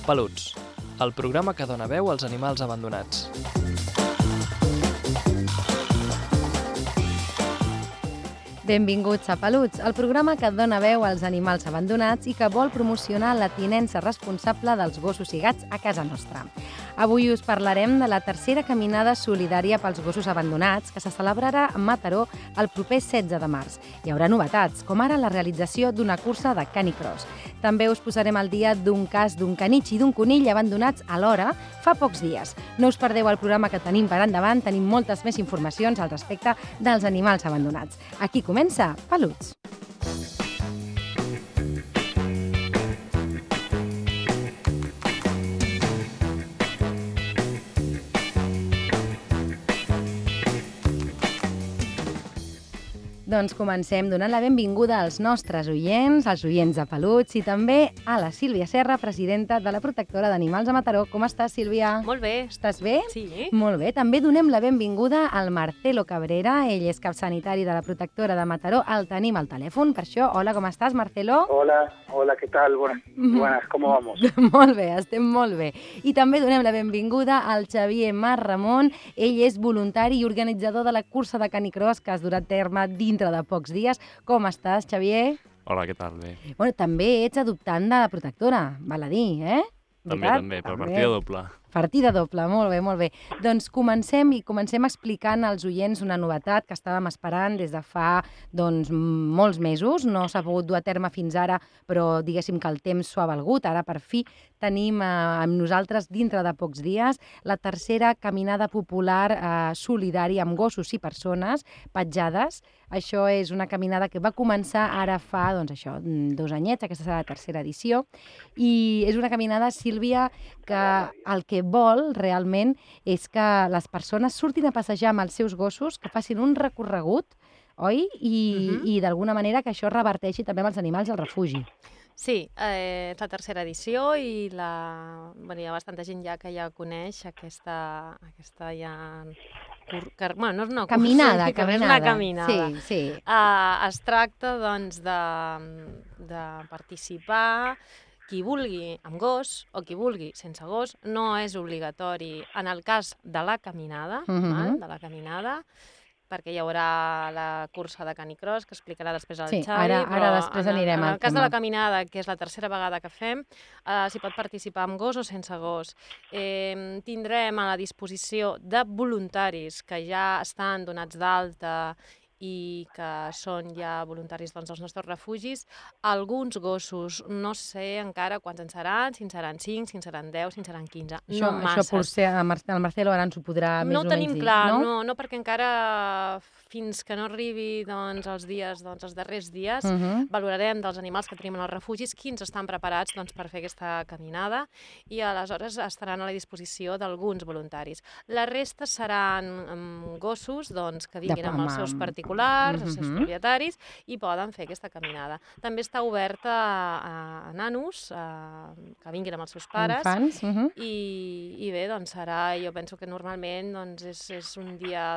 Peluts, el programa que dona veu als animals abandonats. Benvinguts a Peluts, el programa que dona veu als animals abandonats i que vol promocionar la tinença responsable dels gossos i gats a casa nostra. Avui us parlarem de la tercera caminada solidària pels gossos abandonats que se celebrarà a Mataró el proper 16 de març. Hi haurà novetats, com ara la realització d'una cursa de canicross. També us posarem al dia d'un cas d'un canitx i d'un conill abandonats alhora fa pocs dies. No us perdeu el programa que tenim per endavant, tenim moltes més informacions al respecte dels animals abandonats. Aquí comença Peluts. Doncs comencem donant la benvinguda als nostres oients, als oients de Peluts i també a la Sílvia Serra, presidenta de la Protectora d'Animals de Mataró. Com estàs, Sílvia? Molt bé. Estàs bé? Sí. Molt bé. També donem la benvinguda al Marcelo Cabrera. Ell és cap sanitari de la Protectora de Mataró. El tenim al telèfon. Per això, hola, com estàs, Marcelo? Hola, ¿qué tal? Buenas, ¿cómo vamos? Molt bé, estem molt bé. I també donem la benvinguda al Xavier Mar Ramon. Ell és voluntari i organitzador de la cursa de canicross que es durà a terme dintre de pocs dies. Com estàs, Xavier? Hola, què tal? Bé. Bueno, també ets adoptant de la Protectora, val a dir, eh? També, per partida doble. Partida doble, molt bé, molt bé. Doncs comencem explicant als oients una novetat que estàvem esperant des de fa molts mesos. No s'ha pogut dur a terme fins ara, però diguéssim que el temps s'ho ha valgut. Ara, per fi, tenim amb nosaltres, dintre de pocs dies, la tercera caminada popular solidària amb gossos i persones petjades. Això és una caminada que va començar ara fa, 2 anyets, aquesta serà la tercera edició, i és una caminada, Sílvia, que el que vol realment és que les persones surtin a passejar amb els seus gossos, que facin un recorregut, oi? I d'alguna manera que això reverteixi també amb els animals i el refugi. Sí, és la tercera edició i hi ha bastanta gent ja que ja coneix aquesta ja... Bueno, no és una caminada. És una caminada. Sí. Es tracta, doncs, de participar qui vulgui amb gos o qui vulgui sense gos. No és obligatori en el cas de la caminada, perquè hi haurà la cursa de canicross, que explicarà després el Xavi. Ara després anirem al tema. En el cas de la caminada, que és la tercera vegada que fem, s'hi pot participar amb gos o sense gos. Tindrem a la disposició de voluntaris que ja estan donats d'alta i que són ja voluntaris dels nostres refugis, alguns gossos, no sé encara quants en seran, si en seran 5, si en seran 10, si en seran 15, no masses. Això potser el Marcelo ara ens ho podrà més o menys dir, no? No ho tenim clar, no, perquè encara fins que no arribi els darrers dies, valorarem dels animals que tenim en els refugis quins estan preparats per fer aquesta caminada i aleshores estaran a la disposició d'alguns voluntaris. La resta seran gossos que vinguin amb els seus particulars, els seus propietaris, i poden fer aquesta caminada. També està oberta a nanos que vinguin amb els seus pares. Infants. I bé, serà, jo penso que normalment és un dia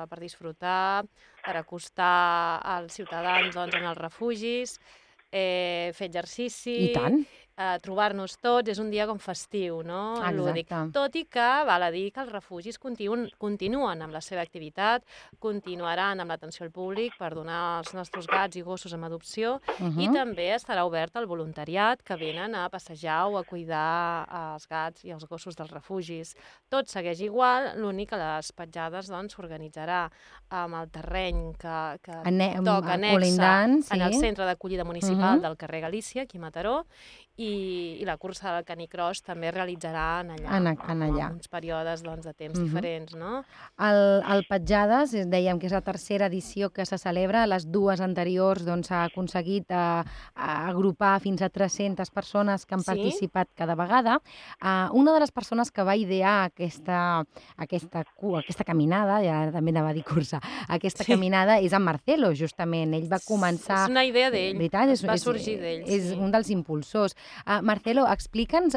per disfrutar, per acostar els ciutadans en els refugis, fer exercici... I tant! Trobar-nos tots, és un dia com festiu, no? Lúdic. Tot i que val a dir que els refugis continuen amb la seva activitat, continuaran amb l'atenció al públic per donar els nostres gats i gossos en adopció i també estarà obert al voluntariat que venen a passejar o a cuidar els gats i els gossos dels refugis. Tot segueix igual, l'únic que les petjades s'organitzarà amb el terreny que toca annexa en el centre d'acollida municipal del carrer Galícia, aquí a Mataró, i la cursa del canicross també es realitzarà allà. En uns períodes de temps diferents, no? El Petjades, dèiem que és la tercera edició que se celebra. Les dues anteriors s'ha aconseguit agrupar fins a 300 persones que han participat cada vegada. Una de les persones que va idear aquesta caminada, ja també anava a dir cursa, aquesta caminada és en Marcelo, justament. Ell va començar... És una idea d'ell, va sorgir d'ell. És un dels impulsors. Marcelo, explica'ns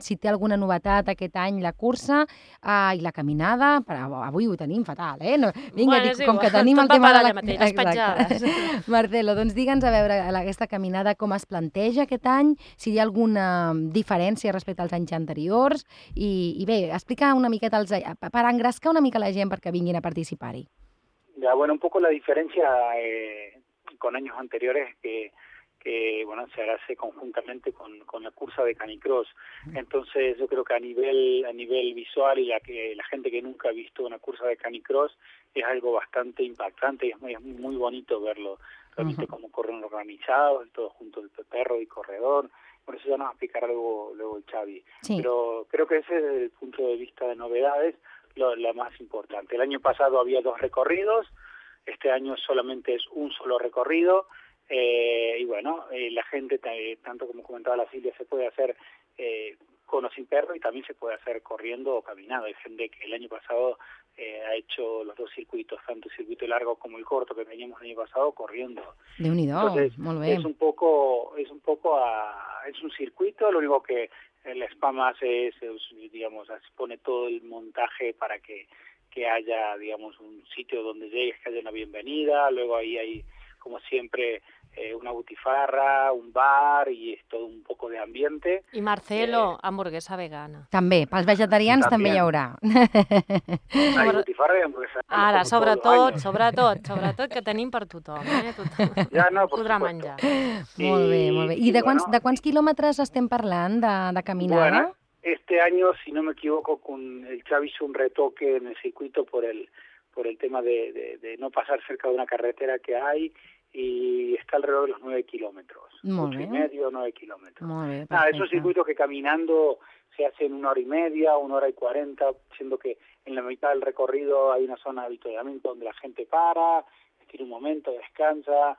si té alguna novetat aquest any la cursa i la caminada. Avui ho tenim fatal, eh? No, vinga, com que tenim el tema de la... les petjades. Marcelo, doncs digue'ns a veure aquesta caminada com es planteja aquest any, si hi ha alguna diferència respecte als anys anteriors i bé, explica una miqueta per engrescar una mica la gent perquè vinguin a participar-hi. Ya, bueno, un poco la diferencia con años anteriores que bueno, se hace conjuntamente con la cursa de canicross. Entonces yo creo que a nivel visual y la gente que nunca ha visto una cursa de canicross es algo bastante impactante y es muy bonito verlo. Realmente cómo corren organizados, todos juntos, el perro y corredor. Por eso ya nos va a explicar luego el Xavi. Sí. Pero creo que ese es desde el punto de vista de novedades la más importante. El año pasado había 2 recorridos, este año solamente es un solo recorrido, y bueno, la gente, tanto como comentaba la Silvia, se puede hacer con o sin perro y también se puede hacer corriendo o caminando. Hay gente que el año pasado ha hecho los 2 circuitos, tanto el circuito largo como el corto que teníamos el año pasado, corriendo. Entonces, es un circuito, lo único que el spam hace es, digamos, pone todo el montaje para que haya, digamos, un sitio donde llegues, que haya una bienvenida, luego ahí hay, como siempre, una butifarra, un bar i és tot un poc d'ambiente. I Marcelo, hamburguesa vegana. També, pels vegetarians també hi haurà. Butifarra i hamburguesa vegana. Ara, sobretot, que tenim per tothom, Tothom ja, no, podrà menjar. Molt bé. I de quants quilòmetres estem parlant de caminada? Bueno, este año, si no me equivoco, el Xavi hizo un retoque en el circuito por el tema de no pasar cerca de una carretera que hay, y está alrededor de los 9 kilómetros, 8,5, 9 kilómetros. Es un circuito que caminando se hace en 1 hora y media, 1 hora y 40, siendo que en la mitad del recorrido hay una zona de avituallamiento donde la gente para, tiene un momento, descansa,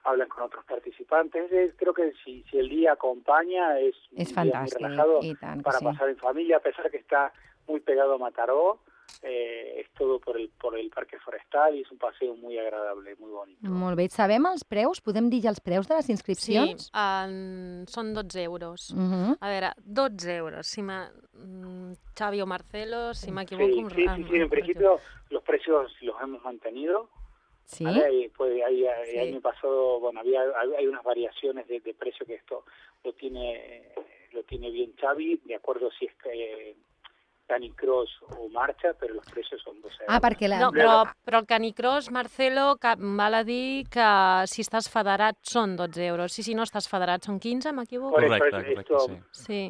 hablan con otros participantes. Creo que si el día acompaña es fantástico, muy relajado para sí. pasar en familia, a pesar que está muy pegado a Mataró. Es todo por el Parque Forestal i és un paseo muy agradable, muy bonito. Molt bé. Sabem els preus? Podem dir ja els preus de les inscripcions? Sí, són 12 euros. A veure, 12 euros. Xavi o Marcelo, si m'equivoco... Sí, en principio los precios los hemos mantenido. Sí. ¿Vale? Pues el año pasado, bueno, hay unas variaciones de precio que esto lo tiene bien Xavi, de acuerdo si es que Canicross o marxa, però els preus són 12 euros. Perquè no, però el Canicross, Marcelo, val a dir que si estàs federat són 12 euros. Si no estàs federat són 15, m'equivoco? Correcte, sí.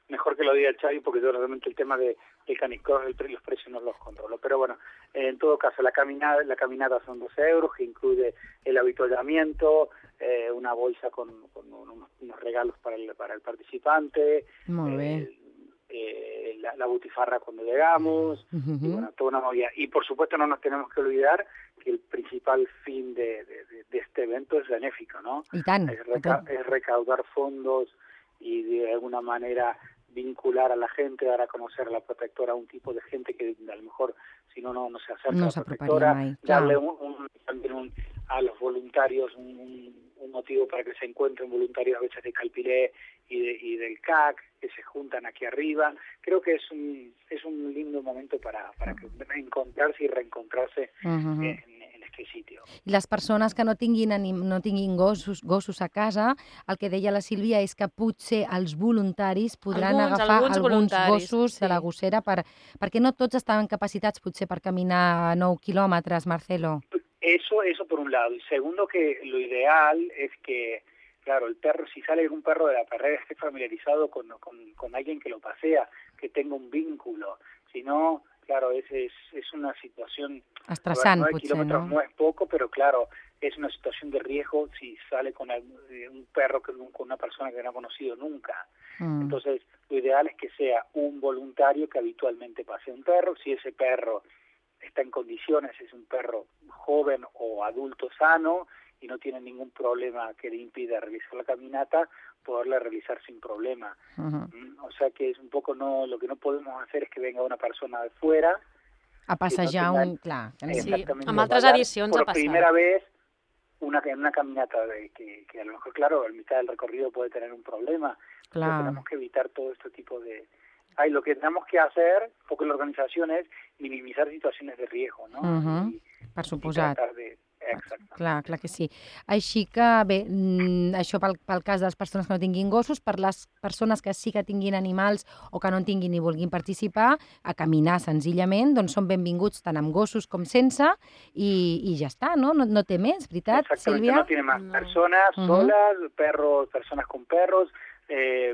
Mejor que lo diga el Xavi, porque yo realmente el tema del Canicross, los precios no los controlo. Pero bueno, en todo caso, la caminata son 12 euros, que incluye el avituallamiento, una bolsa con unos regalos para el participante, la butifarra cuando llegamos, y bueno, toda una movida. Y por supuesto no nos tenemos que olvidar que el principal fin de este evento es benéfico, ¿no? Y tan, es recaudar fondos y de alguna manera vincular a la gente, dar a conocer a la protectora a un tipo de gente que a lo mejor si no se acerca a la protectora, darle también a los voluntarios un motivo para que se encuentren voluntarios a veces de Calpiré y del CAC, que se juntan aquí arriba. Creo que es un lindo momento para encontrarse y reencontrarse en este sitio. I les persones que no tinguin gossos a casa, el que deia la Sílvia és que potser els voluntaris podran agafar alguns gossos de la gossera perquè no tots estaven capacitats potser per caminar 9 quilòmetres, Marcelo. Eso por un lado. Y segundo, que lo ideal es que, claro, el perro, si sale un perro de la perrera, esté familiarizado con alguien que lo pasea, que tenga un vínculo. Si no, claro, es una situación... Estressant, 9 potser, kilómetros no? No es poco, pero claro, es una situación de riesgo si sale con un perro, con una persona que no ha conocido nunca. Entonces, lo ideal es que sea un voluntario que habitualmente pase un perro. Si ese perro está en condiciones, es un perro joven o adulto sano y no tiene ningún problema que le impida realizar la caminata, poderla realizar sin problema. O sea que es un poco lo que no podemos hacer es que venga una persona de fuera a passejar Sí, amb altres edicions ha passat. Por primera vez en una caminata que a lo mejor, claro, a mitad del recorrido puede tener un problema. Claro. Tenemos que evitar todo este tipo de... lo que tenemos que hacer, porque la organización és minimitzar situacions de riesgo, no? Per suposat. Exacte. Clar que sí. Així que, bé, això pel cas de les persones que no tinguin gossos, per les persones que sí que tinguin animals o que no en tinguin i vulguin participar, a caminar senzillament, doncs són benvinguts tant amb gossos com sense i ja està, no? No té més, veritat, Sílvia? No tiene más. Personas solas, perros, personas con perros,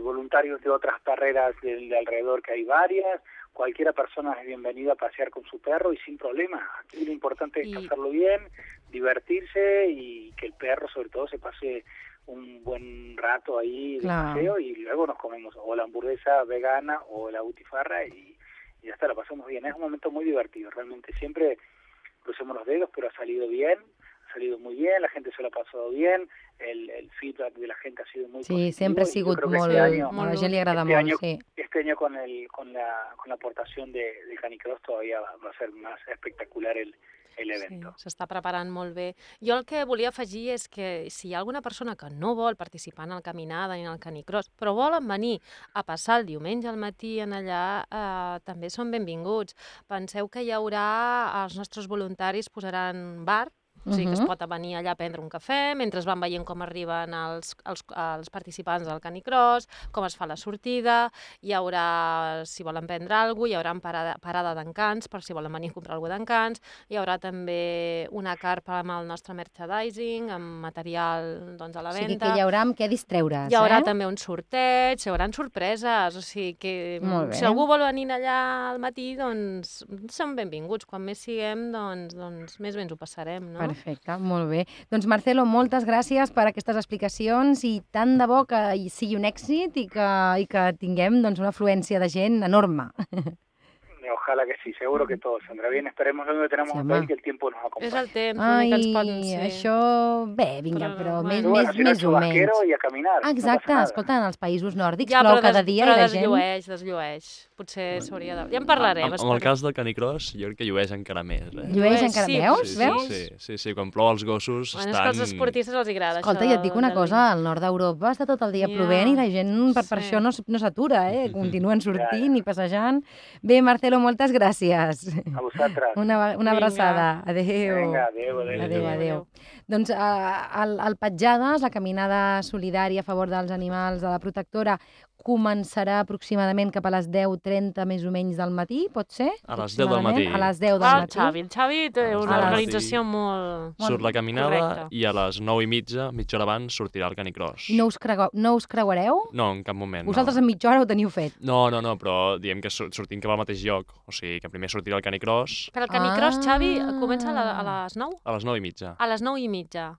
voluntarios de otras carreras de alrededor, que hay varias. Cualquiera persona es bienvenida a pasear con su perro y sin problema. Aquí lo importante es pasarlo bien, divertirse y que el perro sobre todo se pase un buen rato ahí de paseo y luego nos comemos o la hamburguesa vegana o la butifarra y ya está, la pasamos bien. Es un momento muy divertido, realmente siempre crucemos los dedos, pero ha salido bien. Ha salido muy bien, la gente se lo ha pasado bien, el feedback de la gente ha sido muy positivo. Sí, sempre ha sigut molt, a la gent li agrada molt, sí. Este año con la aportación de Canicross todavía va a ser más espectacular el evento. Sí, s'està preparant molt bé. Jo el que volia afegir és que si hi ha alguna persona que no vol participar en el Caminada ni en el Canicross, però volen venir a passar el diumenge al matí en allà, també són benvinguts. Penseu que hi haurà, els nostres voluntaris posaran bar, o sigui que es pot venir allà a prendre un cafè, mentre van veient com arriben els participants del Canicross, com es fa la sortida, hi haurà, si volen prendre alguna cosa, hi haurà parada d'encants, per si volen venir a comprar alguna cosa d'encants, hi haurà també una carpa amb el nostre merchandising, amb material a la venda. O sigui que hi haurà amb què distreure's, Hi haurà també un sorteig, hi haurà sorpreses, o sigui que si algú vol venir allà al matí, doncs som benvinguts. Quan més siguem, doncs més bé ens ho passarem, no? Perfecte, molt bé. Doncs Marcelo, moltes gràcies per aquestes explicacions i tant de bo que sigui un èxit i que tinguem una afluència de gent enorme. Ojalá que sí, seguro que todo saldrá bien. Esperemos que tenemos un país que el tiempo nos acompañe. És el temps, l'únic que ens pot ser. Això, bé, vinga, però més o menys. I a caminar. Exacte, escolta, en els països nòrdics plou cada dia i la gent... Però desllueix. Potser s'hauria de... Ja en parlarem. Amb el cas del Canicross, jo crec que llueix encara més. Llueix encara més? Veus? Sí, quan plou els gossos estan... És que als esportistes els agrada això. Escolta, i et dic una cosa, al nord d'Europa està tot el dia plovent i la gent per això no s'atura, continuen sortint i passejant. Bé, Marcelo, moltes gràcies. A vosaltres. Una abraçada. Adéu. Vinga, adéu. Doncs el Petjades, la caminada solidària a favor dels animals de la protectora, començarà aproximadament cap a les 10:30 més o menys del matí, pot ser? A les 10 del matí. A les 10 del matí. El Xavi té una organització molt... Surt la caminada i a les 9:30, mitja hora abans, sortirà el Canicross. No us creuareu? No, en cap moment. Vosaltres en mitja hora ho teniu fet? No, però diem que sortim cap al mateix lloc. O sigui, que primer sortirà el Canicross. Però el Canicross, Xavi, comença a les 9? A les 9:30. A les 9:30.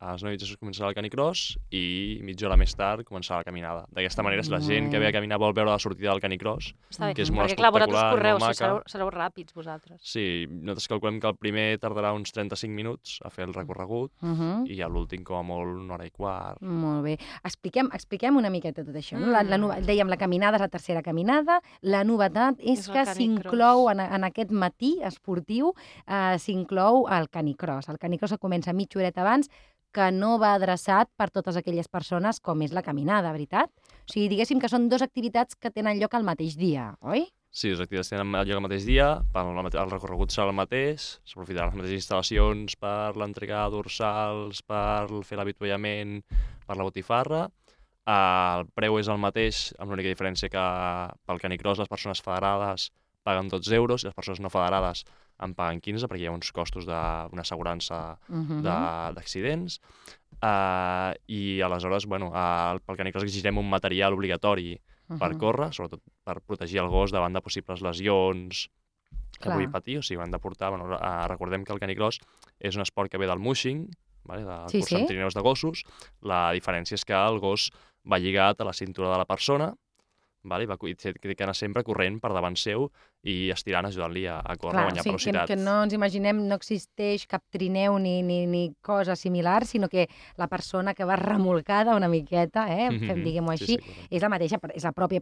A les 9:30 començarà el Canicross i mitja hora més tard començarà la caminada. D'aquesta manera, si la gent que ve a caminar vol veure la sortida del Canicross, que és molt espectacular, vosaltres correu, sereu ràpids, vosaltres. Sí, nosaltres calculem que el primer tardarà uns 35 minuts a fer el recorregut i a l'últim, com a molt, una hora i quart. Molt bé. Expliquem una miqueta tot això. Dèiem, la caminada és la tercera caminada. La novetat és que s'inclou en aquest matí esportiu, s'inclou el Canicross. El Canicross comença mitja horeta abans, que no va adreçat per totes aquelles persones com és la caminada, veritat? O sigui, diguéssim que són dues activitats que tenen lloc al mateix dia, oi? Sí, les activitats tenen lloc al mateix dia, el recorregut serà el mateix, s'aprofitaran les mateixes instal·lacions per l'entrega de dorsals, per fer l'avituallament, per la botifarra. El preu és el mateix, amb l'única diferència que pel Canicross les persones federades paguen 12 euros i les persones no federades en paguen 15 perquè hi ha uns costos d'una assegurança d'accidents. I aleshores, pel Canicross exigirem un material obligatori per córrer, sobretot per protegir el gos davant de possibles lesions que pugui patir. O sigui, han de portar... Recordem que el Canicross és un esport que ve del mushing, del curs amb trineus de gossos. La diferència és que el gos va lligat a la cintura de la persona, i té que anar sempre corrent per davant seu i estirant, ajudant-li a córrer, a guanyar velocitat. Que no ens imaginem, no existeix cap trineu ni cosa similar, sinó que la persona que va remolcada una miqueta, diguem-ho així, és la mateixa, és la pròpia